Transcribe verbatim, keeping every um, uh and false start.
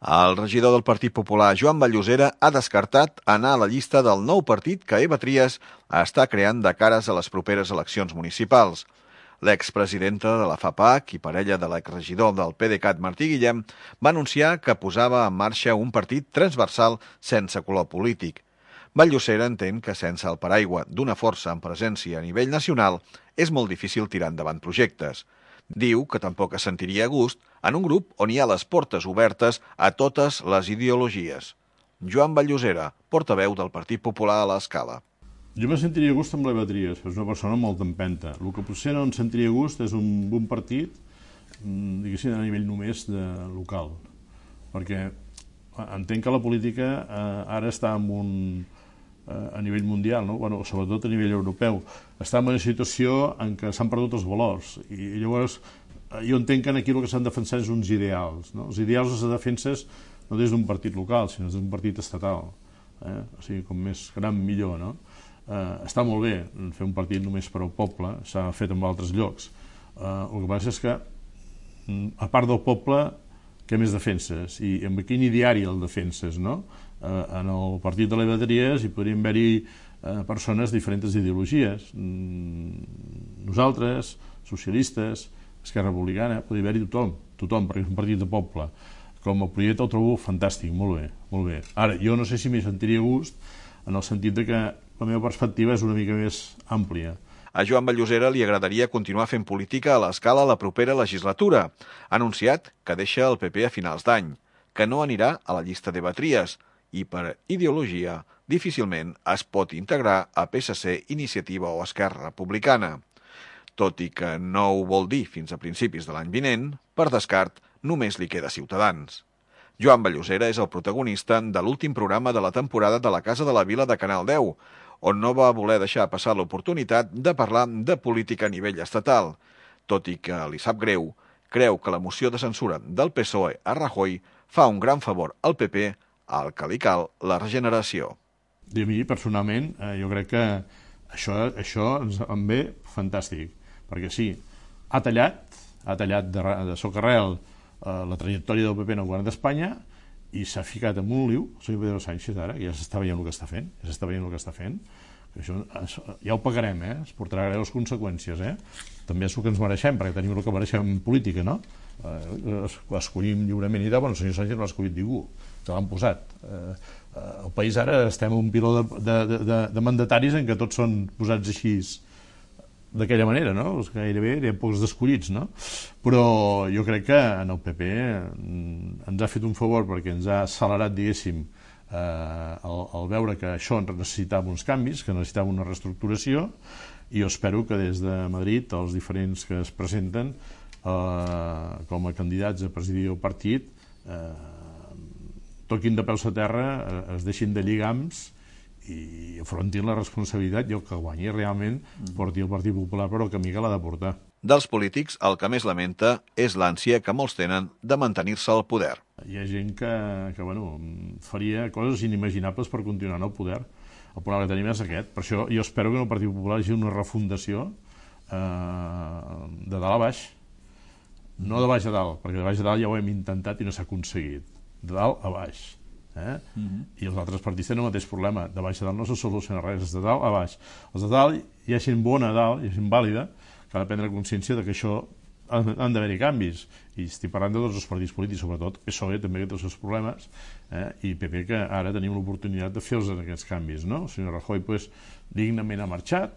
El regidor del Partit Popular, Joan Vallosera, ha descartat anar a la llista del nou partit que Eva Trias està creant de cares a les properes eleccions municipals. L'expresidenta de la FAPAC i parella de l'exregidor del PDeCAT, Martí Guillem, va anunciar que posava en marxa un partit transversal sense color polític. Vallosera entén que sense el paraigua d'una força en presència a nivell nacional és molt difícil tirar endavant projectes. Diu que tampoc es sentiria a gust en un grup on hi ha les portes obertes a totes les ideologies. Joan Vallosera, portaveu del Partit Popular a l'Escala. Jo me sentiria a gust amb l'Eva Trias, és una persona molt empenta. El que potser no em sentiria a gust és un bon partit, diguéssim, a nivell només de local. Perquè entenc que la política eh, ara està en un, eh, a nivell mundial, no? Bueno, sobretot a nivell europeu. Està en una situació en què s'han perdut els valors. I llavors jo entenc que aquí el que s'han defensat és uns ideals. No? Els ideals els defenses no des d'un partit local, sinó des d'un partit estatal. Eh? O sigui, com més gran, millor, no? Uh, està molt bé fer un partit només per al poble, s'ha fet en altres llocs. Uh, el que passa és que, a part del poble, què més defenses? I amb quin ideari el defenses, no? Uh, en el partit de l'Eva Trias hi podrien haver-hi uh, persones de diferents ideologies. Mm, nosaltres, socialistes, Esquerra Republicana, podria haver-hi tothom, tothom, perquè és un partit de poble. Com a projecte el trobo fantàstic, molt bé, molt bé. Ara, jo no sé si m'hi sentiria a gust en el sentit de que la meva perspectiva és una mica més àmplia. A Joan Vallosera li agradaria continuar fent política a l'Escala la propera legislatura. Ha anunciat que deixa el P P a finals d'any, que no anirà a la llista d'Eva Trias i per ideologia difícilment es pot integrar a P S C, Iniciativa o Esquerra Republicana. Tot i que no ho vol dir fins a principis de l'any vinent, per descart només li queda Ciutadans. Joan Vallosera és el protagonista de l'últim programa de la temporada de la Casa de la Vila de Canal deu, on no va voler deixar passar l'oportunitat de parlar de política a nivell estatal. Tot i que li sap greu, creu que la moció de censura del P S O E a Rajoy fa un gran favor al P P, al que li cal la regeneració. I a mi, personalment, eh, jo crec que això, això ens en ve fantàstic, perquè sí, ha tallat, ha tallat de, de socarrel eh, la trajectòria del P P en el govern d'Espanya i s'ha ficat en un liu, el senyor Pedro Sánchez ara, que ja s'està veient el que està fent, ja s'està veient el que està fent, que això ja ho pagarem, eh? Es portarà greus conseqüències, eh? També és el que ens mereixem, perquè tenim el que mereixem en política, no? Eh, escollim lliurement i tal, bueno, el senyor Sánchez no l'ha escollit ningú, que l'han posat. Eh, el país ara estem en un piló de, de, de, de mandataris en què tots són posats així d'aquella manera, no? Gairebé hi ha pocs d'escollits, no? Però jo crec que en el P P ens ha fet un favor perquè ens ha accelerat, diguéssim, eh, el, el veure que això necessitava uns canvis, que necessitava una reestructuració, i jo espero que des de Madrid els diferents que es presenten eh, com a candidats a presidir el partit eh, toquin de peus a terra, eh, es deixin de lligams i afrontin la responsabilitat i el que guanyi realment porti el Partit Popular per al camí que l'ha de portar. Dels polítics, el que més lamenta és l'ànsia que molts tenen de mantenir-se al poder. Hi ha gent que, que bueno, faria coses inimaginables per continuar en el poder. El problema que tenim és aquest. Per això jo espero que en el Partit Popular hi hagi una refundació eh, de dalt a baix. No de baix a dalt, perquè de baix a dalt ja ho hem intentat i no s'ha aconseguit. De dalt a baix. Eh? Uh-huh. I els altres partits tenen el mateix problema. De baix a dalt no se soluciona res, és de dalt a baix. Els de dalt hi ha gent bona a dalt, hi ha gent vàlida, que ha de prendre consciència de que això han d'haver-hi canvis. I estic parlant de tots els partits polítics, sobretot P S O E també que té els seus problemes, eh? I P P que ara tenim l'oportunitat de fer-los aquests canvis, no? El senyor Rajoy pues, dignament ha marxat,